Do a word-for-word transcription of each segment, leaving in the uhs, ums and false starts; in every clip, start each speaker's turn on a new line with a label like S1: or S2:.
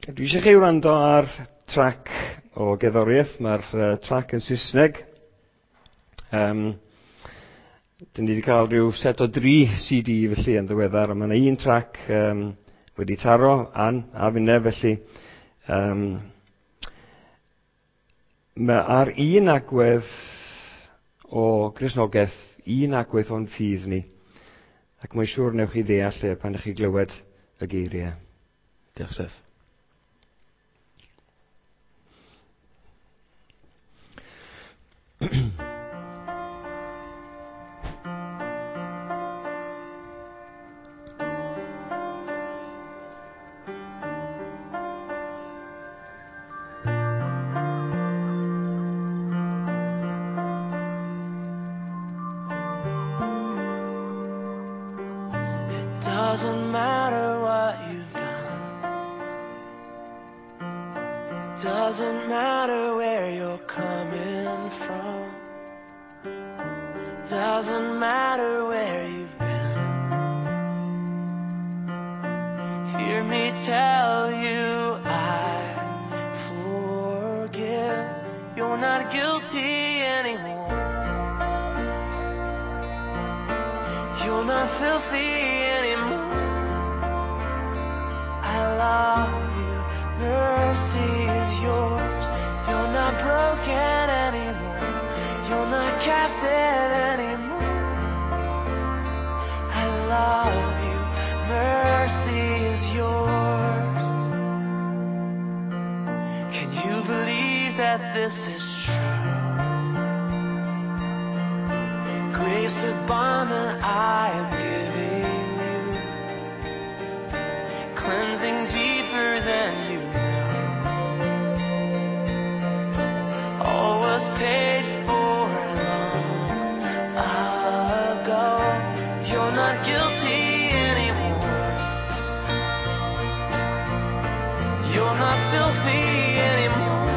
S1: Dwi eisiau chi wrando ar trac o gerddoriaeth. Mae'r uh, trac yn Saesneg. Um, Dyn ni wedi cael rhyw set o dri C D felly yn ddiweddar, a mae yna un trac um, wedi taro, Ann a finne felly. Um, mae ar un agwedd o Gristnogaeth, un agwedd o'n ffydd ni, ac mae'n siŵr newch chi ddeall e pan ydych chi glywed y geiriau. Diolch, Seth.
S2: Doesn't matter what you've done. Doesn't matter where you're coming from. Doesn't matter where you've been. Hear me tell you I forgive. You're not guilty anymore. You're not filthy anymore. I love you. Mercy is yours. You're not broken anymore. You're not captive anymore. I love you. Mercy is yours. Can you believe that this is true? Grace is bond that I am giving you, cleansing deeper than you know. All was paid for long ago. You're not guilty anymore. You're not filthy anymore.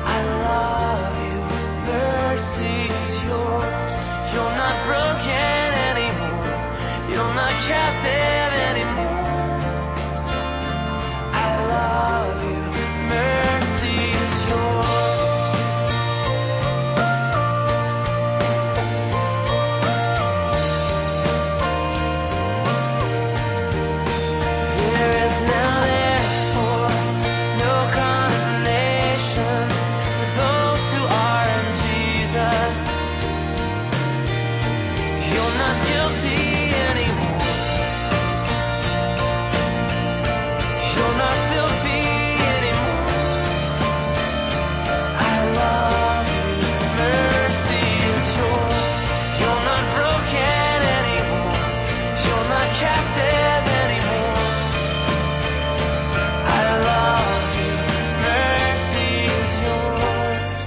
S2: I love you. Mercy is yours. You're not broken anymore. You're not captive anymore. I love you. Mercy is yours. There is now therefore no condemnation for those who are in Jesus. You're not guilty anymore. You're not filthy anymore. I love you. Mercy is yours. You're not broken anymore. You're not captive anymore. I love you. Mercy is yours.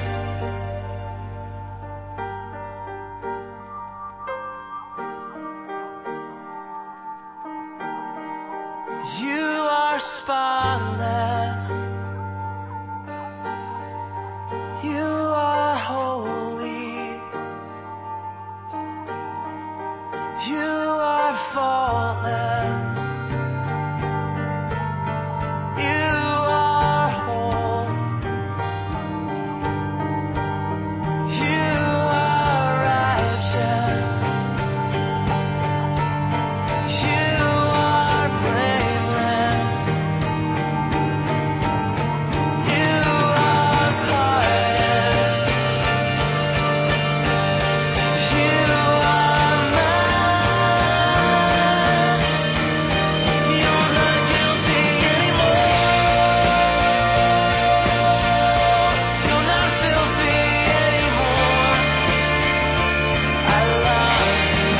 S2: You are spotless. You are holy. You are faultless. You are whole. You are righteous. You are blameless. You are pardoned. You are mine. You're not guilty anymore. You're not filthy anymore. I love you.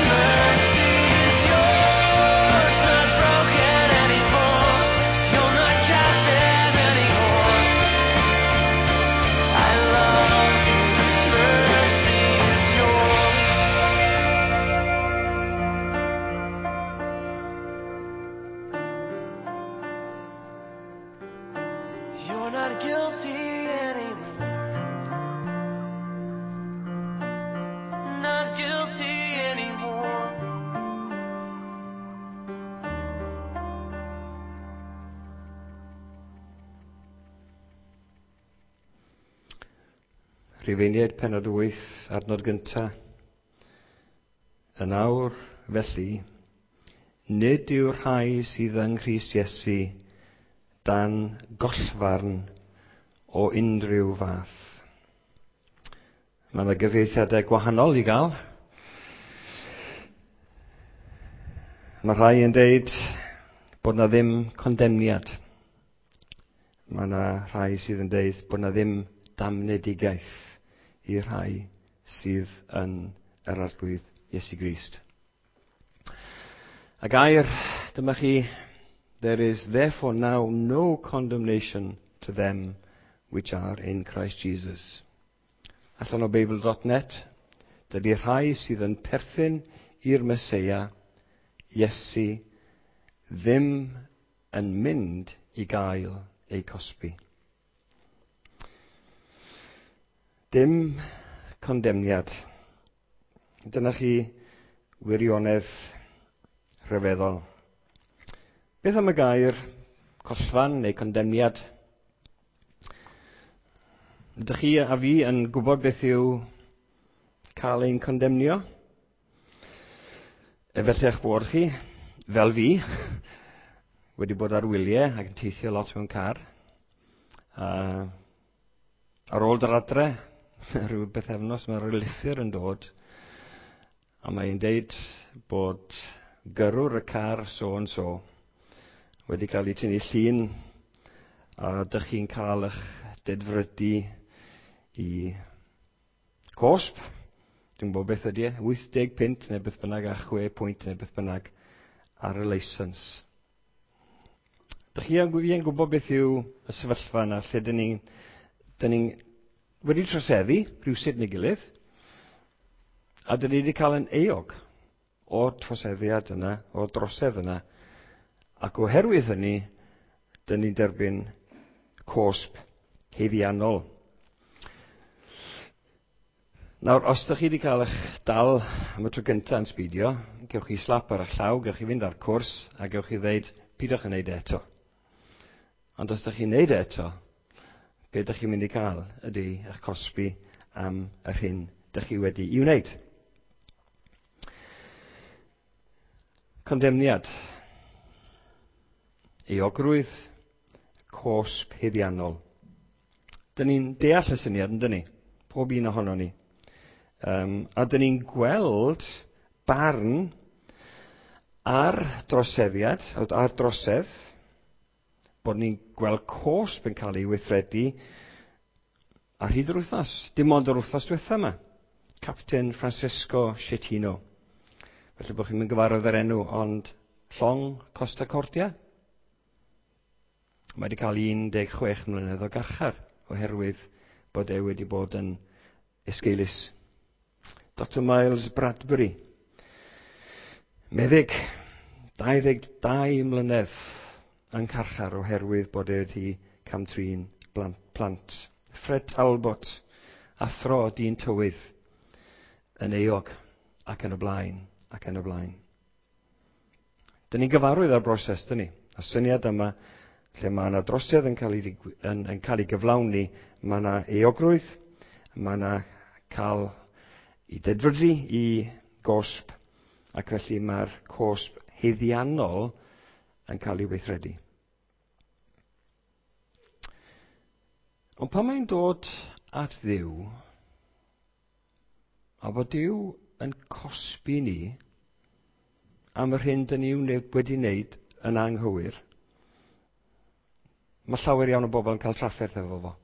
S2: Mercy is yours. Not broken anymore. You're not captive anymore. I love you. Mercy is yours. You're not guilty anymore. Not guilty anymore.
S1: Rhufeiniaid pennod wyth, adnod gyntaf. Yn awr, felly, nid yw'r rhai sydd yng Nghrist Iesu dan gollfarn o unrhyw fath. Mae yna gyfieithiadau gwahanol i gael. Mae rhai yn deud bod na ddim condemniad. Mae yna rhai sydd yn deud bod na ddim damnedigaeth i'r rhai sydd yn yr Arglwydd Iesu Grist. A gair, dyma chi, there is therefore now no condemnation to them which are in Christ Jesus. Allan o Beibl dot net, dydy rhai sydd yn perthyn i'r Meseia, Iesu, ddim yn mynd i gael eu cosbi. Dim condemniad. Dyna chi wirionedd rhyfeddol. Beth am y gair collfarn neu condemniad? Ydych chi a fi yn gwybod beth yw cael ein condemnio? Efallai eich bod chi, fel fi, wedi bod ar wyliau ac yn teithio lot mewn car. A ar ôl dod adre, rhyw bythefnos, mae rhyw lythyr yn dod, a mae'n deud bod gyrrwr y car so and so wedi cael ei tynnu llun, a dych chi'n cael eich dedfrydu i cosb. Dwi'n gwybod beth ydy e, wyth deg punt neu beth bynnag a chwe pwynt neu beth bynnag ar y licence. Dych chi yn gwybod beth yw y sefyllfa yna lle dyn ni'n dyn ni'n wedi troseddu rhywsut neu gilydd, a dyn ni wedi cael yn euog o'r troseddiad yna, o'r drosedd yna, ac oherwydd hynny, dyn ni'n derbyn cosb haeddiannol. Nawr, os ydych chi wedi cael eich dal am y tro gyntaf yn sbidio, gewch chi slap ar eich llaw, gewch chi fynd ar cwrs, a gewch chi ddeud, pidwch yn neud e eto. Ond os ydych chi'n neud e eto, be ydych chi'n mynd i cael ydy eich cosbi am yr hyn ydych chi wedi i wneud. Condemniad. Euogrwydd, cosb haeddiannol. Dyn ni'n deall y syniad, yn dyn ni? Pob un ohono ni. Um, a dyn ni'n gweld barn ar droseddiad, ar drosedd, bod ni'n gweld cosb yn cael ei weithredu ar hyd yr wythnos. Dim ond yr wythnos diwetha yma. Captain Francesco Schettino. Felly bod chi'n mynd gyfarwydd yr enw, ond llong Costa Cordia. Mae wedi cael un deg chwech mlynedd o garchar oherwydd bod e wedi bod yn esgeulus. Doctor Miles Bradbury, meddyg, dau ddeg dau mlynedd yn carchar oherwydd bod e wedi camtrin plant. Fred Talbot, athro dyn tywydd, yn euog ac yn y blaen, ac yn y blaen. Dyn ni'n gyfarwydd â'r broses, dyn ni. Y syniad yma, lle mae yna drosedd yn cael ei, yn, yn cael ei gyflawni, mae yna euogrwydd, mae yna cael i dedfrydu i gosb, ac felly mae'r cosb haeddiannol yn cael ei weithredu. Ond pan mae'n dod at Dduw, a bod Duw yn cosbi ni am yr hyn dyn ni wedi wneud yn anghywir, mae llawer iawn o bobl yn cael trafferth efo fo.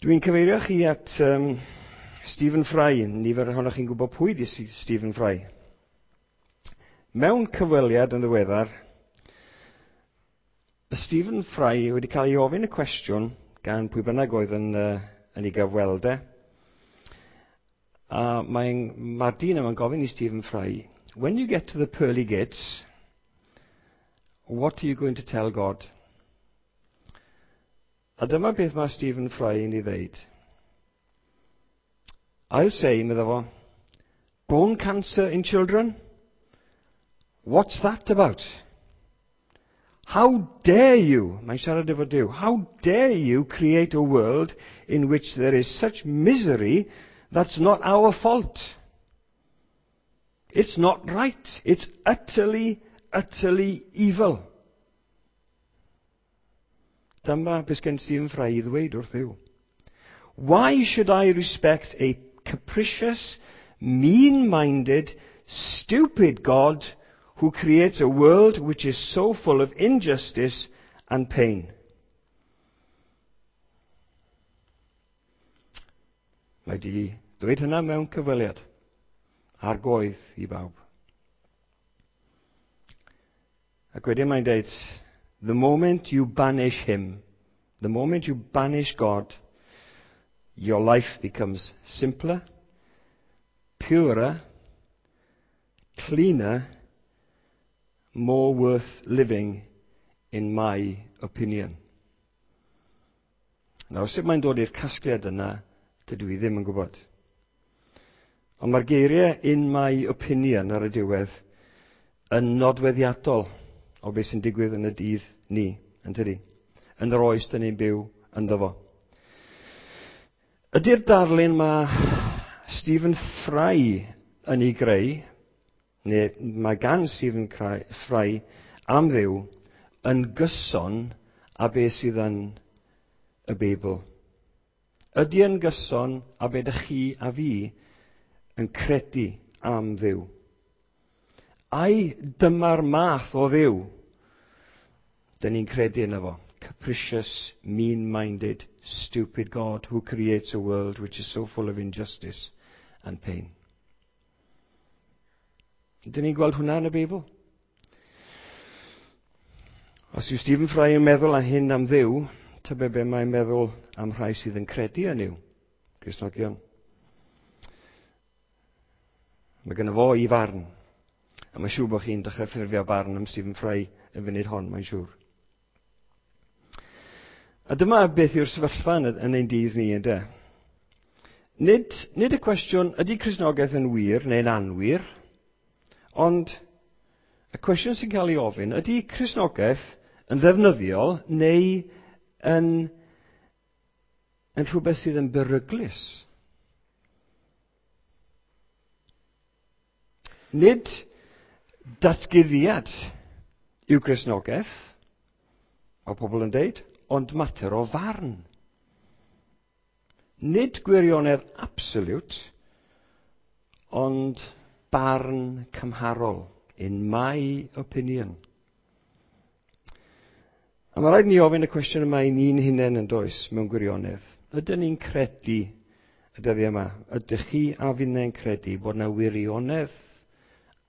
S1: Dwi'n cyfeirio chi at um, Stephen Fry. Nifer ohonoch chi'n gwybod pwy di Stephen Fry. Mewn cyfweliad yn ddiweddar, Stephen Fry wedi cael ei ofyn y cwestiwn gan pwy bynnag oedd yn, uh, yn ei gyfweld e. A mae'n, mae'r dyn yma'n gofyn i Stephen Fry, when you get to the pearly gates, what are you going to tell God? A dyma beth mae Stephen Fry yn ei ddeud. I'll say, medda fo, bone cancer in children? What's that about? How dare you, mae'n siarad efo Duw, how dare you create a world in which there is such misery that's not our fault? It's not right. It's utterly, utterly evil. Dyma beth gen Stephen Fry i ddweud wrth Dduw. Why should I respect a capricious, mean-minded, stupid God who creates a world which is so full of injustice and pain? Mae di dweud hynna mewn cyfweliad ar goedd i bawb. Ac wedyn mae'n dweud, the moment you banish him, the moment you banish God, your life becomes simpler, purer, cleaner, more worth living, in my opinion. Nawr, sut mae'n dod i'r casgliad yna, dydw i ddim yn gwybod. Ond mae'r geiriau in my opinion ar y diwedd yn nodweddiadol o beth sy'n digwydd yn y dydd ni, yn tydi? Yn yr oes dyn ni'n byw ynddo fo. Ydy'r darlun mae Stephen Fry yn ei greu, neu mae gan Stephen Fry am Dduw, yn gyson â beth sydd yn y Beibl? Ydy yn gyson â beth ydych chi a fi yn credu am Dduw? Ai dyma'r math o Dduw dyn ni'n credu yno fo? Capricious, mean-minded, stupid God who creates a world which is so full of injustice and pain. Dyn ni'n gweld hwnna yn y Beibl? Os yw Stephen Fry yn meddwl am hyn am Dduw, tybed be mae'n meddwl am rhai sydd yn credu yn Nuw, Cristnogion. Mae gynno fo i farn. A mae'n siŵr bod chi'n dechrau ffurfio barn am Stephen Fry y funud hon, mae'n siŵr. A dyma beth yw'r sefyllfa yn, yn ein dydd ni, ynde? Nid, nid y cwestiwn, ydy Cristnogaeth yn wir neu'n anwir, ond y cwestiwn sy'n cael ei ofyn, ydy Cristnogaeth yn ddefnyddiol neu yn, yn rhywbeth sydd yn beryglus? Nid datguddiad yw Cristnogaeth, mae pobl yn deud, ond mater o farn. Nid gwirionedd absolute, ond barn cymharol, in my opinion. A mae rhaid ni ofyn y cwestiwn yma i ni'n hunain yn does, mewn gwirionedd. Ydyn ni'n credu y dyddiau yma? Ydych chi a finnau'n credu bod yna wirionedd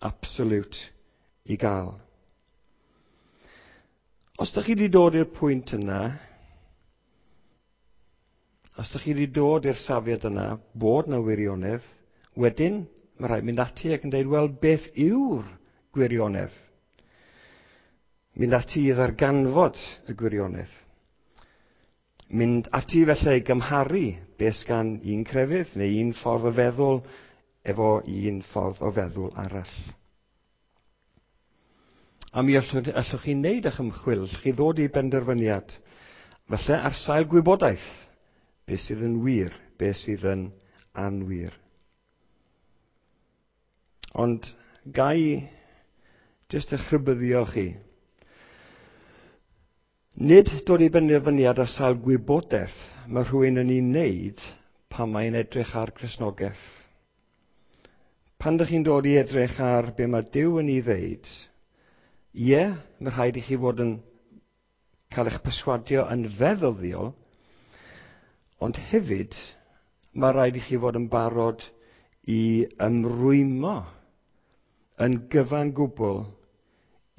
S1: absolute i gael? Os ydych chi wedi dod i'r pwynt yna, os ydych chi wedi dod i'r safiad yna, bod yna wirionedd, wedyn mae rhaid mynd ati ac yn dweud, wel, beth yw'r gwirionedd? Mynd ati i ddarganfod y gwirionedd. Mynd ati felly i gymharu beth gan un crefydd neu un ffordd o feddwl efo un ffordd o feddwl arall. A mi allwch, allwch chi wneud eich ymchwil, allwch chi ddod i benderfyniad. Felly ar sail gwybodaeth, beth sydd yn wir, beth sydd yn anwir. Ond gai jyst eich rhybuddio chi. Nid dod i benderfyniad ar sail gwybodaeth mae rhywun yn ei wneud pan mae'n edrych ar Gristnogaeth. Pan ydych chi'n dod i edrych ar be mae Duw yn ei ddeud, ie, mae rhaid i chi fod yn cael eich perswadio yn feddyldiol, ond hefyd mae rhaid i chi fod yn barod i ymrwymo yn gyfan gwbl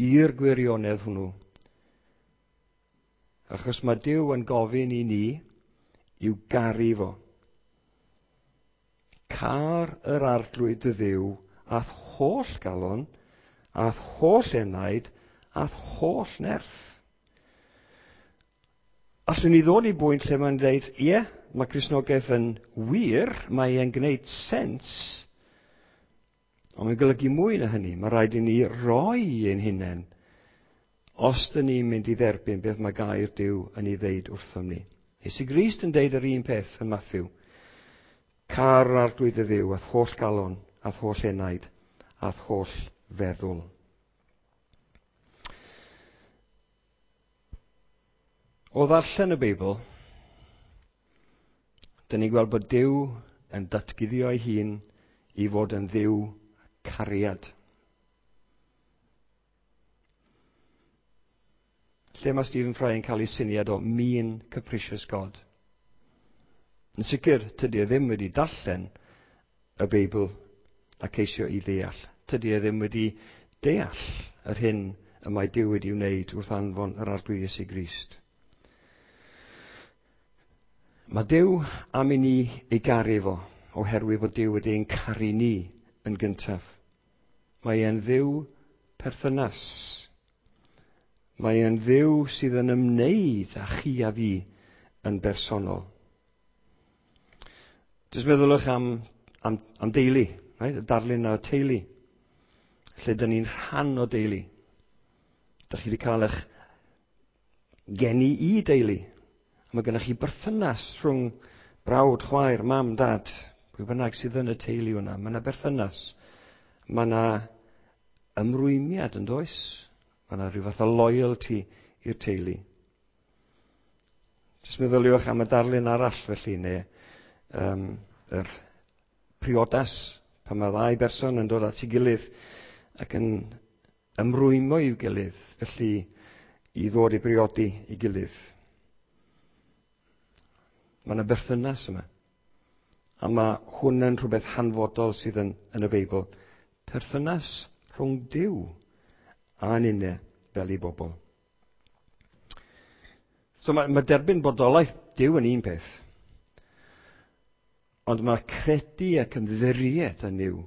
S1: i'r gwirionedd hwnnw. Achos mae Duw yn gofyn i ni i'w garu fo. Car yr Arglwydd dy Dduw a'th holl galon, a'th holl enaid, a'th holl nerth. Allwn ni ddod i bwynt lle mae'n dweud, ie, mae Cristnogaeth yn wir, mae e'n gwneud sens, ond mae'n golygu mwy na hynny. Mae rhaid i ni roi ein hunain Os dyn ni'n mynd i dderbyn beth mae gair Duw yn ei ddeud wrthom ni. Iesu Grist yn deud yr un peth yn Matthew. Car yr Arglwydd y Dduw a'th holl galon, a'th holl enaid, a'th holl feddwl. O ddarllen y Beibl, dyn ni'n gweld bod Duw yn datguddio ei hun i fod yn Dduw cariad. Lle mae Stephen Fry yn cael ei syniad o mean, capricious God? Yn sicr, tydi e ddim wedi darllen y Beibl a ceisio i ddeall. Tydi e ddim wedi deall yr hyn y mae Duw wedi wneud wrth anfon yr Arglwydd Iesu Grist. Mae Duw am i ni ei garu fo, oherwydd bod Duw wedi ein caru ni yn gyntaf. Mae e'n Dduw perthynas. Mae e'n Dduw sydd yn ymwneud â chi a fi yn bersonol. Jyst meddylwch am, am, am deulu, right? Y darlun o'r teulu, lle dyn ni'n rhan o deulu. Dych chi wedi cael eich geni i deulu. Mae gennych chi berthynas rhwng brawd, chwaer, mam, dad, pwy bynnag sydd yn y teulu yna. Mae yna berthynas. Mae yna ymrwymiad yn does? Mae yna rhyw fath o loyalty i'r teulu. Jyst meddyliwch am y darlun arall felly, neu um, yr priodas, pan mae ddau berson yn dod at ei gilydd ac yn ymrwymo i'w gilydd, felly i ddod i briodi i gilydd. Mae yna berthynas yma. A mae hwn yn rhywbeth hanfodol sydd yn, yn y Beibl. Perthynas rhwng Duw a ninne fel i bobl. So mae, mae derbyn bodolaeth Duw yn un peth. Ond mae credu ac ymddiried yn Nuw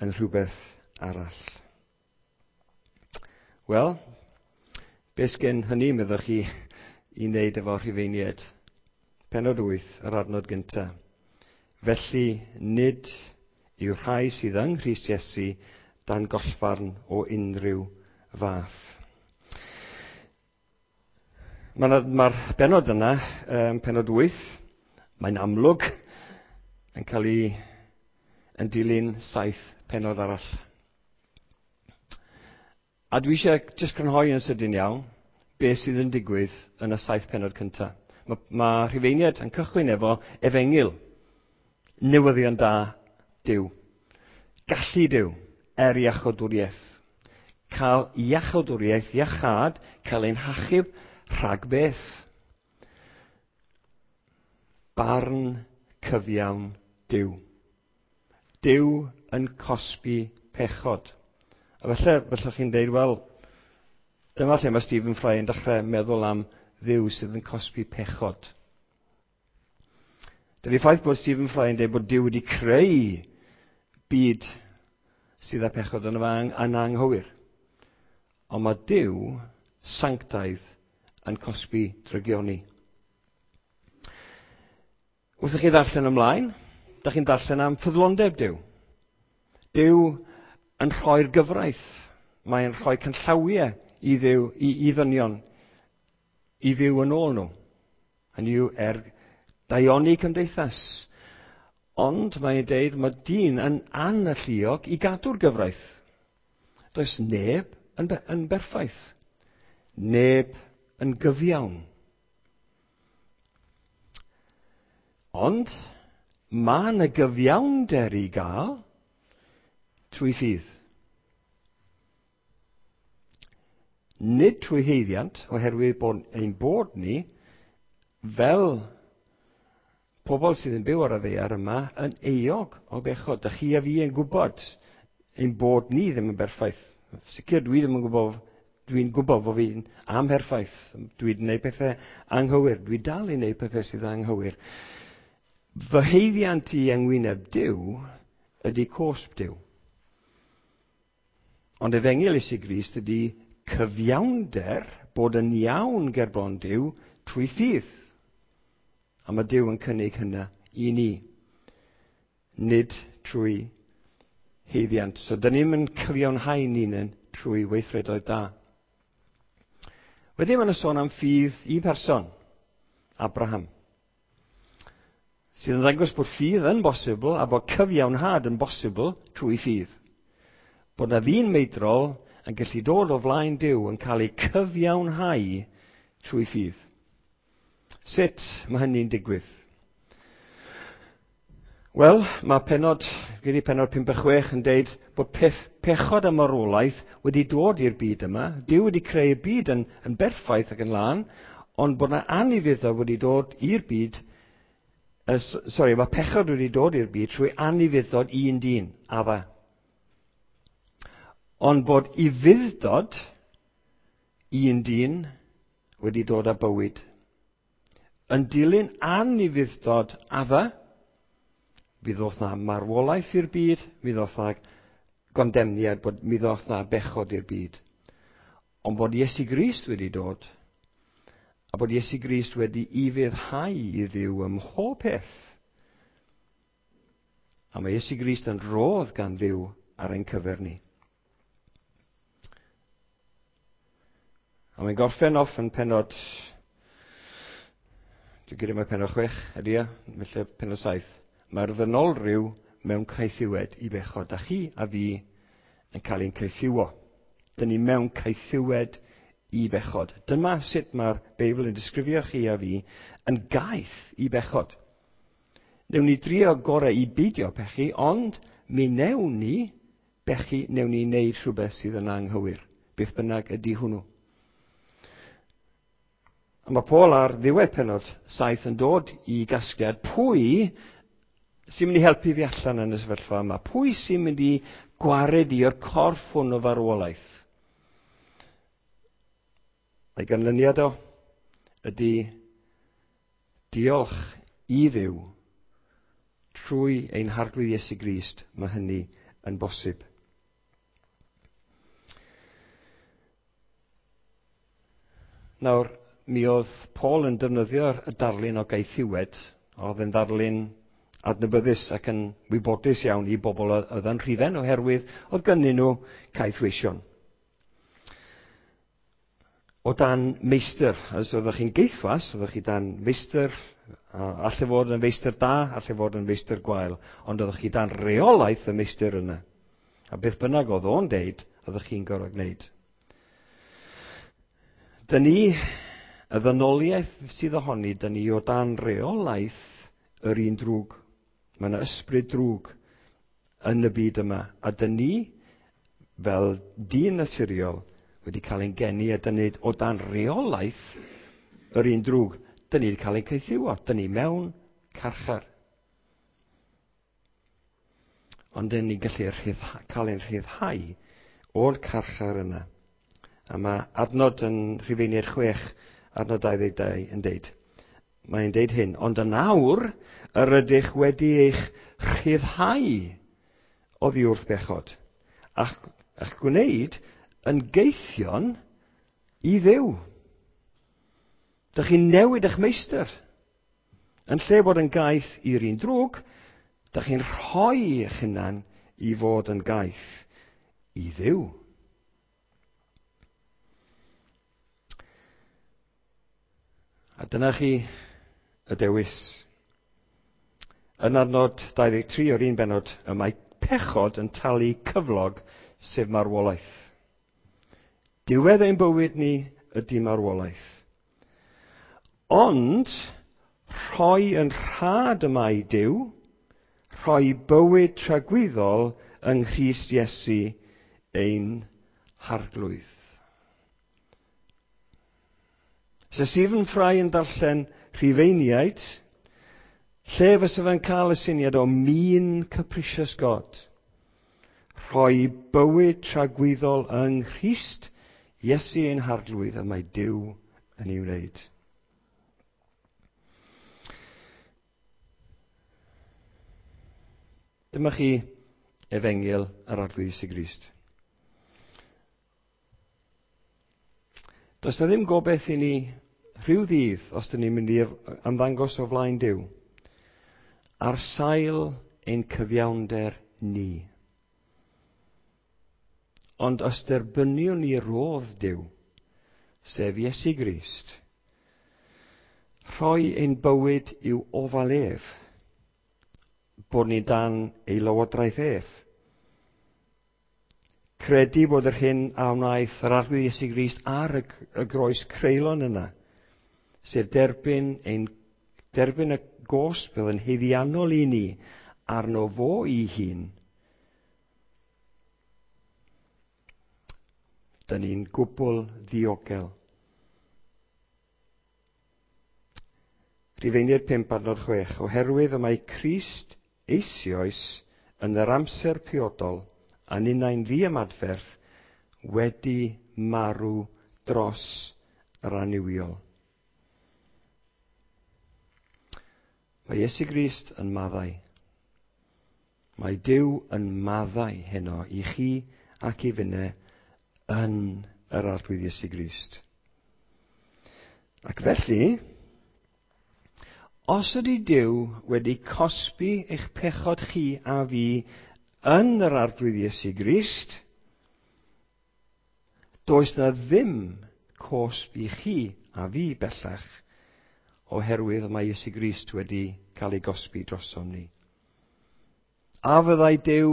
S1: yn rhywbeth arall. Wel, beth sgen hynny, meddwch chi, i wneud efo Rhufeiniaid? Pennod wyth, yr adnod gyntaf. Felly, nid yw rhai sydd yng Nghrist Iesu dan gollfarn o unrhyw fath. Mae'r ma bennod yna, um, pennod wyth, mae'n amlwg yn cael ei yn dilyn saith pennod arall. A dwi eisiau jyst crynhoi yn sydyn iawn beth sydd yn digwydd yn y saith pennod cyntaf. Mae ma Rhufeiniaid yn cychwyn efo efengyl, newyddion da Duw, gallu Duw er iachawdwriaeth. Cael iachawdwriaeth, iachâd, cael ein hachub rhag beth? Barn cyfiawn Duw. Duw yn cosbi pechod. A felly, felly chi'n deud, wel, dyma lle mae Stephen Fry yn dechrau meddwl am Dduw sydd yn cosbi pechod. Dydy'r ffaith bod Stephen Fry yn dweud bod Duw wedi creu byd sydd â pechod yn yn anghywir. Ond mae Duw sanctaidd yn cosbi drygioni. Wrth i chi ddarllen ymlaen, da chi'n darllen am ffyddlondeb Duw. Duw yn rhoi'r gyfraith. Mae'n rhoi canllawiau i Dduw, i, i ddynion, i fyw yn ôl nhw. Hynny yw er daioni cymdeithas. Ond mae'n deud mae dyn yn analluog i gadw'r gyfraith. Does neb yn, be, yn berffaith. Neb yn gyfiawn. Ond mae yna gyfiawnder i gael trwy ffydd. Nid trwy haeddiant, oherwydd bod ein bod ni, fel pobl sydd yn byw ar y ddaear yma, yn euog o bechod. Dych chi a fi yn gwybod ein bod ni ddim yn berffaith. Sicr dwi ddim yn gwybod, dwi'n gwybod fod fi'n amherffaith. Dwi'n gwneud pethau anghywir. Dwi dal i wneud pethau sydd anghywir. Fy haeddiant i yng ngwyneb Duw ydy cosb Duw. Ond efengyl Iesu Grist ydy cyfiawnder bod yn iawn gerbron Duw trwy ffydd. A mae Duw yn cynnig hynna i ni, nid trwy haeddiant. So, dyn ni'm yn cyfiawnhau ni'n trwy weithredoedd da. Wedyn mae yna sôn am ffydd un person, Abraham, sydd yn ddangos bod ffydd yn bosibl a bod cyfiawnhad yn bosibl trwy ffydd. Bod na ddyn meidrol yn gallu dod o flaen Duw yn cael ei cyfiawnhau trwy ffydd. Sut mae hynny'n digwydd? Wel, mae pennod, gyda pennod pump a chwech yn deud bod peth, pechod a marwolaeth wedi dod i'r byd yma. Duw wedi creu y byd yn, yn berffaith ac yn lân, ond bod yna anufuddod wedi dod i'r byd, uh, sorry, mae pechod wedi dod i'r byd trwy anufuddod un dyn, Adda. Ond bod ufuddod un dyn wedi dod â bywyd. Yn dilyn anufuddod Adda, mi ddoth na marwolaeth i'r byd, mi ddoth na gondemniad, bod, mi ddoth na bechod i'r byd. Ond bod Iesu Grist wedi dod, a bod Iesu Grist wedi ufuddhau i Dduw ym mhob peth. A mae Iesu Grist yn rhodd gan Dduw ar ein cyfer ni. A mae'n gorffen off yn pennod, dwi'n gyda mae pennod chwech, ydy e, felly pennod saith. Mae'r ddynolryw mewn caethiwed i bechod, a chi a fi yn cael ein caethiwo. Dyn ni mewn caethiwed i bechod. Dyma sut mae'r Beibl yn disgrifio chi a fi yn gaeth i bechod. Newn ni drio gorau i beidio pechu, ond mi newn ni bechu, newn ni wneud rhywbeth sydd yn anghywir. Beth bynnag ydy hwnnw. A mae Paul ar ddiwedd pennod saith yn dod i gasgliad pwy sy'n mynd i helpu fi allan yn y sefyllfa yma? Pwy sy'n mynd i gwared i o'r corff hwn o farwolaeth? A'i ganlyniad o ydy diolch i Dduw trwy ein Harglwydd Iesu Grist, mae hynny yn bosib. Nawr, mi oedd Paul yn defnyddio'r darlun o gaethiwed, oedd yn ddarlun adnabyddus ac yn wybodus iawn i bobl oedd yn Rhufain, oherwydd oedd gynnyn nhw caethweision. O dan meistr, os oeddech chi'n geithwas, oeddech chi dan meistr, alle fod yn feistr da, alle fod yn feistr gwael, ond oeddech chi dan reolaeth y meistr yna. A beth bynnag oedd o'n deud, oeddech chi'n gorfod gwneud. Dyn ni, y ddynoliaeth sydd ohoni, dyn ni o dan reolaeth yr un drwg. Mae yna ysbryd drwg yn y byd yma. A dyn ni, fel dyn naturiol, wedi cael ein geni a dyn ni o dan reolaeth yr un drwg. Dyn ni wedi cael ein caethiwo. Dyn ni mewn carchar. Ond dyn ni'n gallu rhyddha, cael ein rhyddhau o'r carchar yna. A mae adnod yn Rhufeiniaid chwech, adnod dau ddeg dau yn deud. Mae'n deud hyn, ond yn awr yr ydych wedi eich rhyddhau oddi wrth bechod, a'ch, a'ch gwneud yn geithion i Dduw. Dych chi'n newid eich meistr. Yn lle bod yn gaeth i'r un drwg, dych chi'n rhoi eich hunan i fod yn gaeth i Dduw. A dyna chi y dewis. Yn adnod dau ddeg tri o'r un bennod, y mae pechod yn talu cyflog, sef marwolaeth. Diwedd ein bywyd ni ydy marwolaeth. Ond rhoi yn rhad y mae Duw, rhoi bywyd tragwyddol yng Nghrist Iesu ein Harglwydd. Se Stephen Fry yn darllen Rhufeiniaid, lle fysa fe'n cael y syniad o mean capricious God? Rhoi bywyd tragwyddol yng Nghrist Iesu ein Harglwydd, y mae Duw yn ei wneud. Dyma chi Efengyl yr Arglwydd Iesu Grist. Does na ddim gobaith i ni rhyw ddydd, os dyn ni'n mynd i'r ymddangos o flaen Duw, ar sail ein cyfiawnder ni. Ond os derbyniwn ni rodd Duw, sef Iesu Grist, rhoi ein bywyd i'w ofal ef, bod ni dan ei lywodraeth ef. Credu bod yr hyn a wnaeth yr Arglwydd Iesu Grist ar y, y groes creulon yna, sef derbyn, ein, derbyn y gosb oedd yn haeddiannol i ni arno fo i hun, dyn ni'n gwbl ddiogel. Rhufeiniaid pump adnod chwech, oherwydd y mae Crist eisoes yn yr amser priodol a ninnau'n ddiymadferth wedi marw dros yr annuwiol. Mae Iesu Grist yn maddau. Mae Duw yn maddau heno i chi ac i finne yn yr Arglwydd Iesu Grist. Ac felly, os ydy Duw wedi cosbi eich pechod chi a fi yn yr Arglwydd Iesu Grist, does na ddim cosb i chi a fi bellach, oherwydd mae Iesu Grist wedi cael ei gosbi drosom ni. A fyddai Duw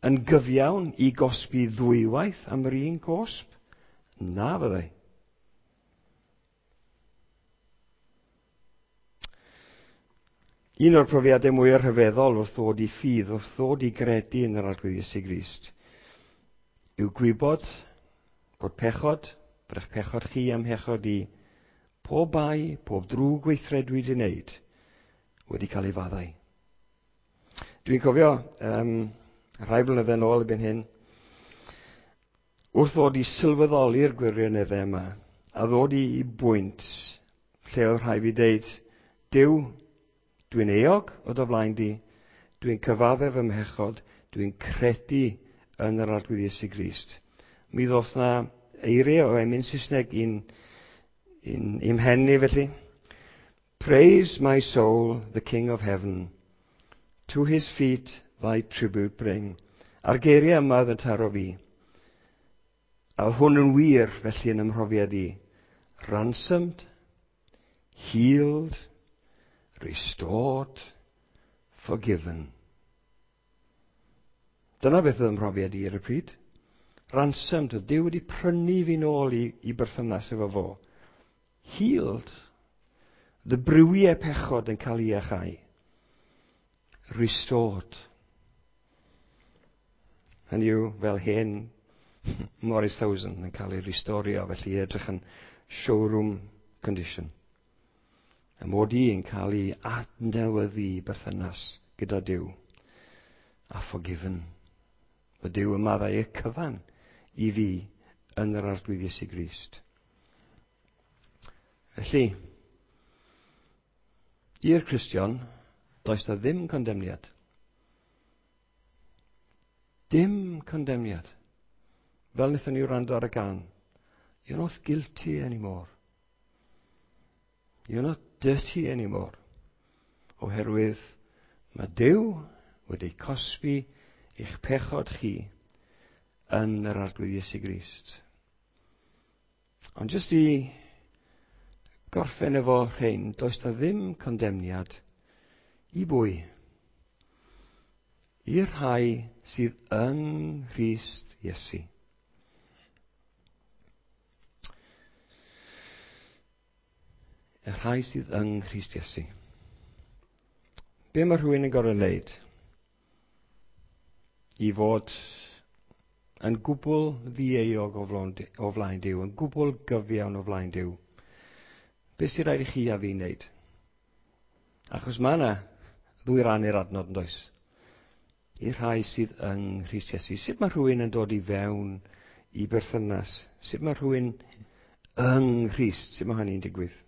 S1: yn gyfiawn i gosbi ddwywaith am yr un cosb? Na fyddai. Un o'r profiadau mwyaf rhyfeddol wrth ddod i ffydd, wrth ddod i gredu yn yr Arglwydd Iesu Grist, yw gwybod bod pechod, bod eich pechod chi am pechod i, pob bai, pob drwg weithred dwi wedi wneud, wedi cael ei faddau. Dwi'n cofio, um, rhai blynyddoedd yn ôl erbyn hyn, wrth ddod i sylweddoli'r gwirioneddau yma, a ddod i, i bwynt lle oedd rhaid fi deud, Duw, dwi'n euog o dy flaen di, dwi'n cyfaddef fy mhechod, dwi'n credu yn yr Arglwydd Iesu Grist. Mi ddoth na eiriau o emyn Saesneg i'n, i'n, i'm mhen i felly. Praise my soul, the King of Heaven. To his feet thy tribute bring. A'r geiriau yma oedd yn taro fi. A oedd hwn yn wir felly yn ymhrofiad i. Ransomed, healed, restored, forgiven. Dyna beth oedd ymhrofiad i ar y pryd. Ransomed, oedd Duw wedi prynu fi nôl i, i berthynas efo fo. Healed, the briwiau pechod yn cael ei iachau. Restored. Hynny yw, fel hen Morris Thousand yn cael ei restorio, felly edrych yn showroom condition. Y mod i yn cael ei adnewyddu i berthynas gyda Duw. A forgiven. Mae Duw yn maddau y cyfan i fi yn yr Arglwydd Iesu Grist. Felly, i'r Cristion, does na ddim condemniad. Dim condemniad. Fel wnaethon ni wrando ar y gan. You're not guilty anymore. You're not dirty anymore. Oherwydd mae Duw wedi cosbi eich pechod chi yn yr Arglwydd Iesu Grist. Ond jyst i gorffen efo rhain, does na ddim condemniad i bwy? I'r rhai sydd yng Nghrist Iesu. Y rhai sydd yng Nghrist Iesu. Be mae rhywun yn gorfod wneud i fod yn gwbl ddieuog o flaen, o flaen Duw, yn gwbl gyfiawn o flaen Duw? Be sy'n rhaid i chi a fi wneud? Achos mae yna ddwy ran i'r adnod yn does? I'r rhai sydd yng Nghrist Iesu. Sut mae rhywun yn dod i fewn i berthynas? Sut mae rhywun yng Nghrist? Sut mae hynny'n digwydd?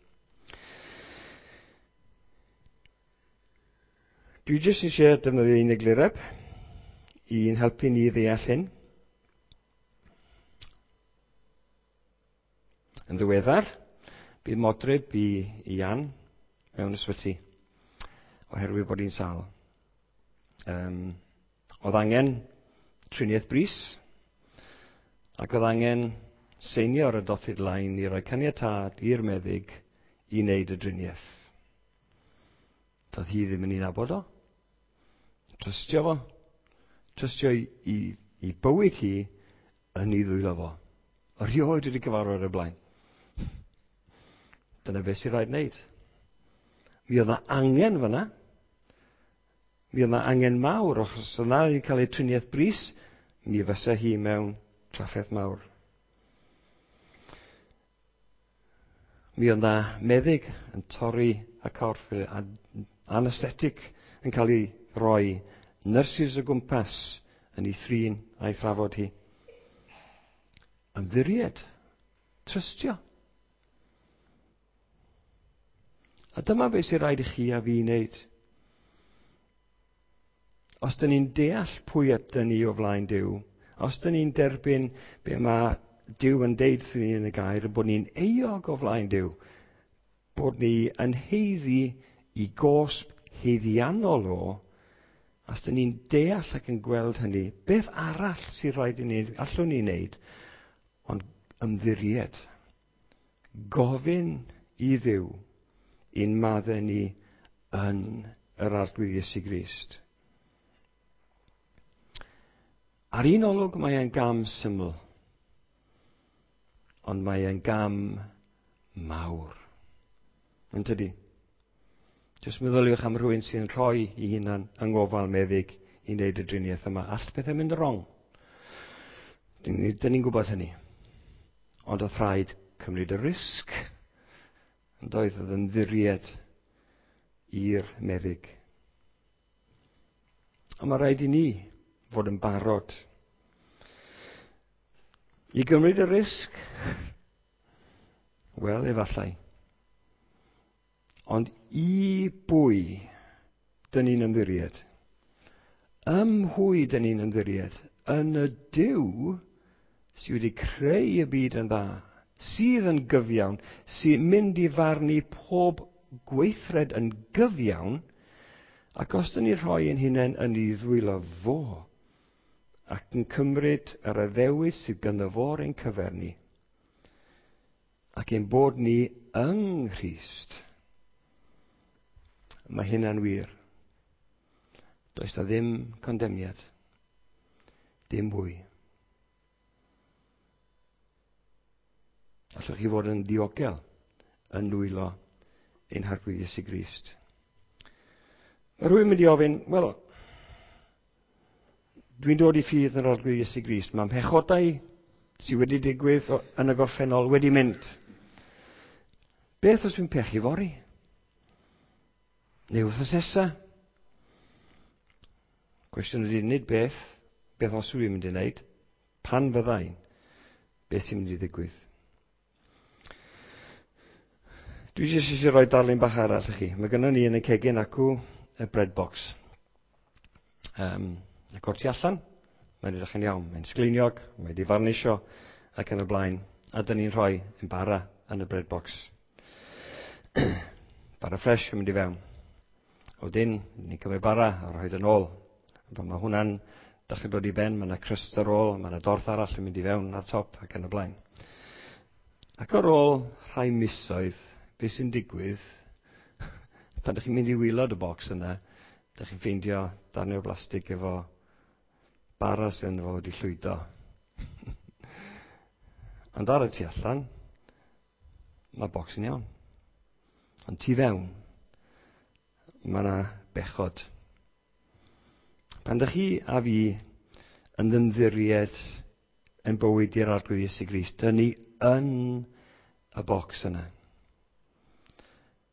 S1: Dwi jyst eisiau defnyddio un eglureb i'n helpu ni ddeall hyn. Yn ddiweddar, bydd modryb i, i Ian mewn ysbyty oherwydd bod hi'n sâl. Um, oedd angen triniaeth brys ac oedd angen seinio ar y dotted line i roi caniatâd i'r meddyg i wneud y driniaeth. Doedd hi ddim yn ei nabod o. Trystio fo. Trystio i, i, i bywyd hi yn ei ddwylo fo. Erioed wedi cyfarfod ar y blaen. Dyna beth sy'n rhaid wneud. Mi oedd 'na angen fyna. Mi oedd 'na angen mawr, achos oedd 'na wedi cael ei triniaeth brys, mi fysa hi mewn trafferth mawr. Mi oedd 'na meddyg yn torri y corff, a anesthetic yn cael ei roi, nyrsys o gwmpas yn ei thrin a'i thrafod hi. Ymddiried, trystio. A dyma beth sy'n rhaid i chi a fi wneud. Os dyn ni'n deall pwy ydyn ni o flaen Duw, os dyn ni'n derbyn be mae Duw yn deud wrthyn ni yn y gair, bod ni'n euog o flaen Duw, bod ni yn haeddu i gosb haeddiannol o, os dyn ni'n deall ac yn gweld hynny, beth arall sy'n rhaid i ni, allwn ni wneud, ond ymddiried, gofyn i Dduw i'n maddau ni yn yr Arglwydd Iesu Grist. Ar un olwg mae e'n gam syml, ond mae e'n gam mawr. Yn tydi? Jyst meddyliwch am rhywun sy'n rhoi i hunan yng ngofal meddyg i wneud y driniaeth yma. All pethau mynd wrong. Dyn ni'n gwybod hynny. Ond oedd rhaid cymryd y risg. Yn doedd, oedd ymddiried i'r meddyg. A mae rhaid i ni fod yn barod i gymryd y risg. Wel, efallai. Ond i bwy dyn ni'n ymddiried? Ym mhwy dyn ni'n ymddiried? Yn y Duw sydd wedi creu y byd yn dda, sydd yn gyfiawn, sy'n mynd i farnu pob gweithred yn gyfiawn, ac os dyn ni'n rhoi ein hunain yn ei ddwylo fo, ac yn cymryd yr addewid sydd ganddo fo ar ein cyfer ni, ac ein bod ni yng Nghrist, mae hynna'n wir. Does na ddim condemniad. Dim mwy. Allwch chi fod yn ddiogel yn nwylo ein Harglwydd Iesu Grist. Mae rhywun mynd i ofyn, wel, dwi'n dod i ffydd yn yr Arglwydd Iesu Grist. Mae mhechodau sydd wedi digwydd yn y gorffennol wedi mynd. Beth os dwi'n pechu fory? Neu wythnos nesa? Cwestiwn ydy, nid beth, beth os dwi'n mynd i wneud, pan fyddai'n, beth sy'n mynd i ddigwydd? Dwi jyst eisiau rhoi darlun bach arall i chi. Mae gynnon ni yn y cegin acw y bread box. Um, ac o'r tu allan, mae'n edrych yn iawn. Mae'n sgleiniog, mae wedi farnisio ac yn y blaen. A dyn ni'n rhoi yn bara yn y bread box. Bara ffres yn mynd i fewn. Wedyn, ni'n cymryd bara a rhoi yn ôl. Pan mae hwnna'n dechrau dod i ben, mae yna crust ar ôl, mae yna dorth arall yn mynd i fewn ar top ac yn y blaen. Ac ar ôl rhai misoedd, beth sy'n digwydd, pan ydych chi'n mynd i waelod y bocs yna, ydych chi'n ffeindio darnau o blastig efo bara sy'n fo wedi llwydo. Ond ar y tu allan, mae bocs yn iawn. Ond tu fewn, mae yna bechod. Pan ydych chi a fi yn ymddiried yn bywyd i'r Arglwydd Iesu Grist, dyn ni yn y bocs yna.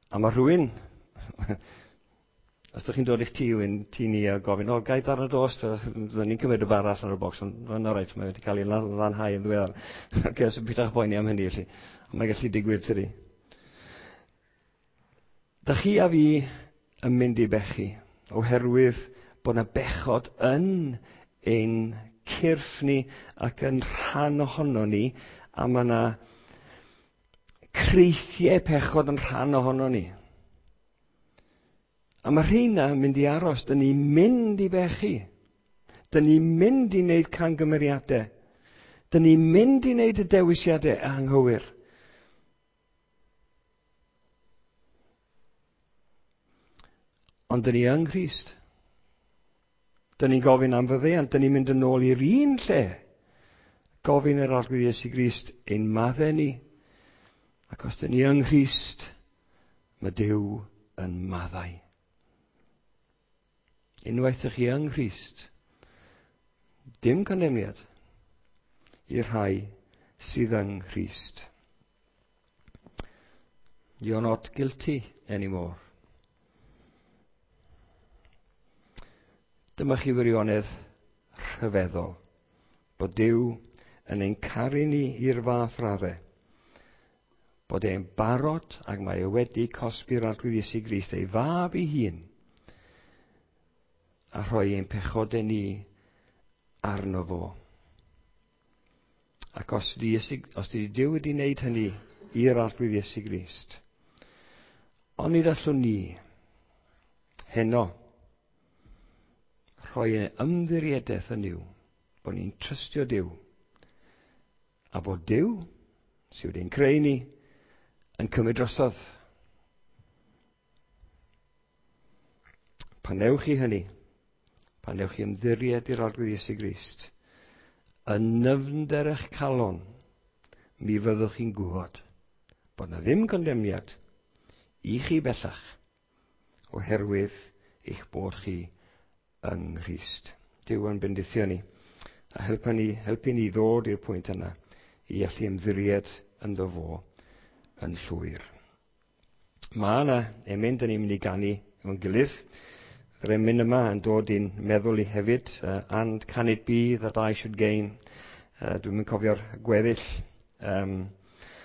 S1: A mae rhywun, os ydych chi'n dod i'ch tŷ, tŷ ni a gofyn, o, gai darn o dost, fydden ni'n cymryd y bara allan o'r bocs, ond mae'n reit, mae wedi cael ei lanhau yn ddiweddar. Oce, so pidwch boeni am hynny, felly. Ond mae'n gallu digwydd, tydi. Dych chi a fi yn mynd i bechu, oherwydd bod yna bechod yn ein cyrff ni ac yn rhan ohono ni, a mae yna creithiau pechod yn rhan ohono ni. A mae rheina yn mynd i aros. Dyn ni'n mynd i bechu. Dyn ni'n mynd i wneud camgymeriadau. Dyn ni'n mynd i wneud y dewisiadau anghywir. Ond dyn ni yng Nghrist. Dyn ni'n gofyn am faddeuant. Dyn ni'n mynd yn ôl i'r un lle. Gofyn yr Arglwydd Iesu Grist ein maddau ni. Ac os dyn ni yng Nghrist, mae Duw yn maddau. Unwaith ych chi yng Nghrist, dim condemniad i'r rhai sydd yng Nghrist. You're not guilty anymore. Dyma chi wirionedd rhyfeddol, bod Duw yn ein caru ni i'r fath raddau, bod e'n barod ac mae e wedi cosbi'r Arglwydd Iesu Grist ei fab ei hun a rhoi ein pechodau ni arno fo. Ac os di, Iesu, os di Duw wedi wneud hynny i'r Arglwydd Iesu Grist, onid allwn ni heno rhoi ein ymddiriedaeth yn Nuw, bod ni'n trystio Duw, a bod Duw, sydd wedi'n creu ni, yn cymryd drosodd. Pan newch chi hynny, pan newch chi ymddiried i'r Arglwydd Iesu Grist, yn nyfnder eich calon, mi fyddwch chi'n gwybod bod na ddim condemniad i chi bellach, oherwydd eich bod chi yng Nghrist. Duw yn bendithio ni a helpu ni, helpu ni ddod i'r pwynt yna i allu ymddiried ynddo fo yn llwyr. Mae yna emyn dyn ni'n mynd i ganu efo'n gilydd. Yr emyn yma yn dod i'n meddwl i hefyd. Uh, and can it be that I should gain? Uh, dwi'n mynd cofio'r gweddill. Um,